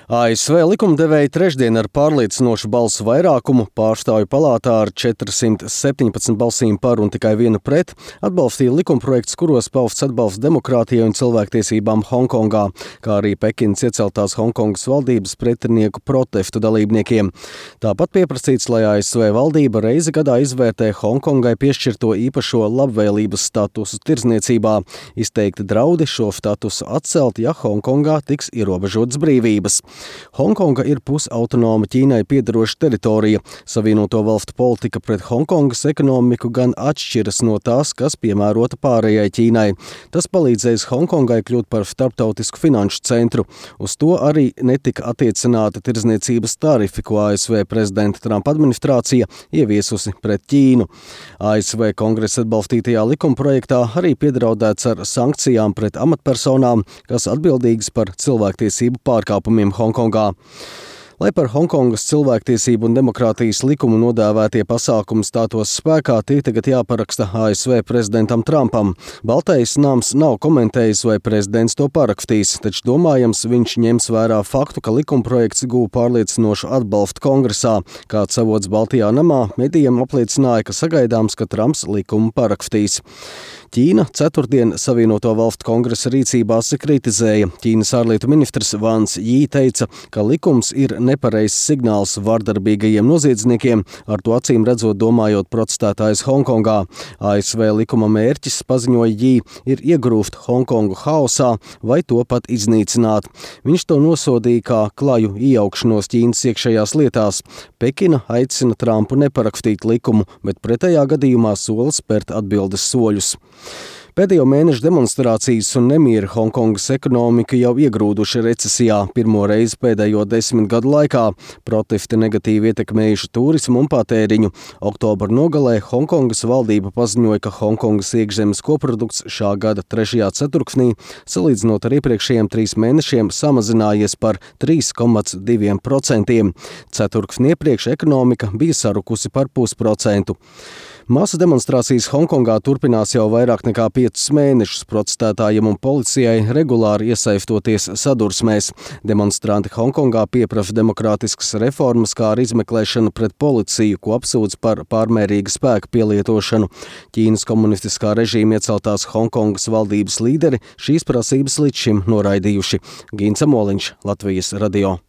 ASV likumdevēji trešdien ar pārliecinošu balsu vairākumu Pārstāvju palātā ar 417 balsīm par un tikai vienu pret atbalstīja likumprojektus, kuros pausts atbalsts demokrātijai un cilvēktiesībām Honkongā, kā arī Pekinas ieceltās Honkongas valdības pretinieku protestu dalībniekiem. Tāpat pieprasīts, lai ASV valdība reizi gadā izvērtē Honkongai piešķirto īpašo labvēlības statusu tirdzniecībā, izteikti draudi šo statusu atcelt, ja Honkongā tiks ierobežotas brīvības. Honkonga ir pusautonoma Ķīnai piederoša teritorija. Savienoto valstu politika pret Honkongas ekonomiku gan atšķiras no tās, kas piemērota pārējai Ķīnai. Tas palīdzēs Honkongai kļūt par starptautisku finanšu centru. Uz to arī netika attiecināta tirdzniecības tarifi, ko ASV prezidenta Trumpa administrācija ieviesusi pret Ķīnu. ASV kongresa atbalstītajā likumprojektā arī piedraudēts ar sankcijām pret amatpersonām, kas atbildīgas par cilvēktiesību pārkāpumiem Honkongā. Lai par Honkongas cilvēktiesību un demokrātijas likumu nodēvētie pasākumi stātos spēkā, tie tagad jāparaksta ASV prezidentam Trumpam. Baltais nams nav komentējis, vai prezidents to parakstīs, taču domājams, viņš ņems vērā faktu, ka likumprojekts guva pārliecinošu atbalstu kongresā. Kāds avots Baltajā namā medijiem apliecināja, ka sagaidāms, ka Trumps likumu parakstīs. Ķīna ceturtdien Savienoto valstu kongresa rīcībā kritizēja. Ķīnas ārlietu ministrs Vans Jī teica, ka likums ir nepareizs signāls vardarbīgajiem noziedzniekiem, ar to acīm redzot domājot protestētājs Honkongā. ASV likuma mērķis, paziņoja Jī, ir iegrūst Honkongu haosā vai to pat iznīcināt. Viņš to nosodīja kā klaju iejaukšanos Ķīnas iekšējās lietās. Pekina aicina Trumpu neparakstīt likumu, bet pretējā gadījumā sola spērt atbildes soļus. Pēdējo mēnešu demonstrācijas un nemieri Honkongas ekonomika jau iegrūduši recesijā pirmo reizi pēdējo 10 gadu laikā. Protesti negatīvi ietekmējuši turismu un patēriņu. Oktobra nogalē Honkongas valdība paziņoja, ka Honkongas iekšzemes koprodukts šā gada 3. ceturksnī, salīdzinot ar iepriekšējiem 3 mēnešiem, samazinājies par 3,2%. Ceturksni iepriekš ekonomika bija sarukusi par 0,5%. Masu demonstrācijas Honkongā turpinās jau vairāk nekā 5 mēnešus. Protestētājiem un policijai regulāri iesaistoties sadursmēs. Demonstranti Honkongā pieprasa demokrātiskas reformas, kā arī izmeklēšanu pret policiju, ko apsūdz par pārmērīgu spēku pielietošanu. Ķīnas komunistiskā režīma ieceltās Honkongas valdības līderi šīs prasības līdz šim noraidījuši. Gīns Amoliņš, Latvijas radio.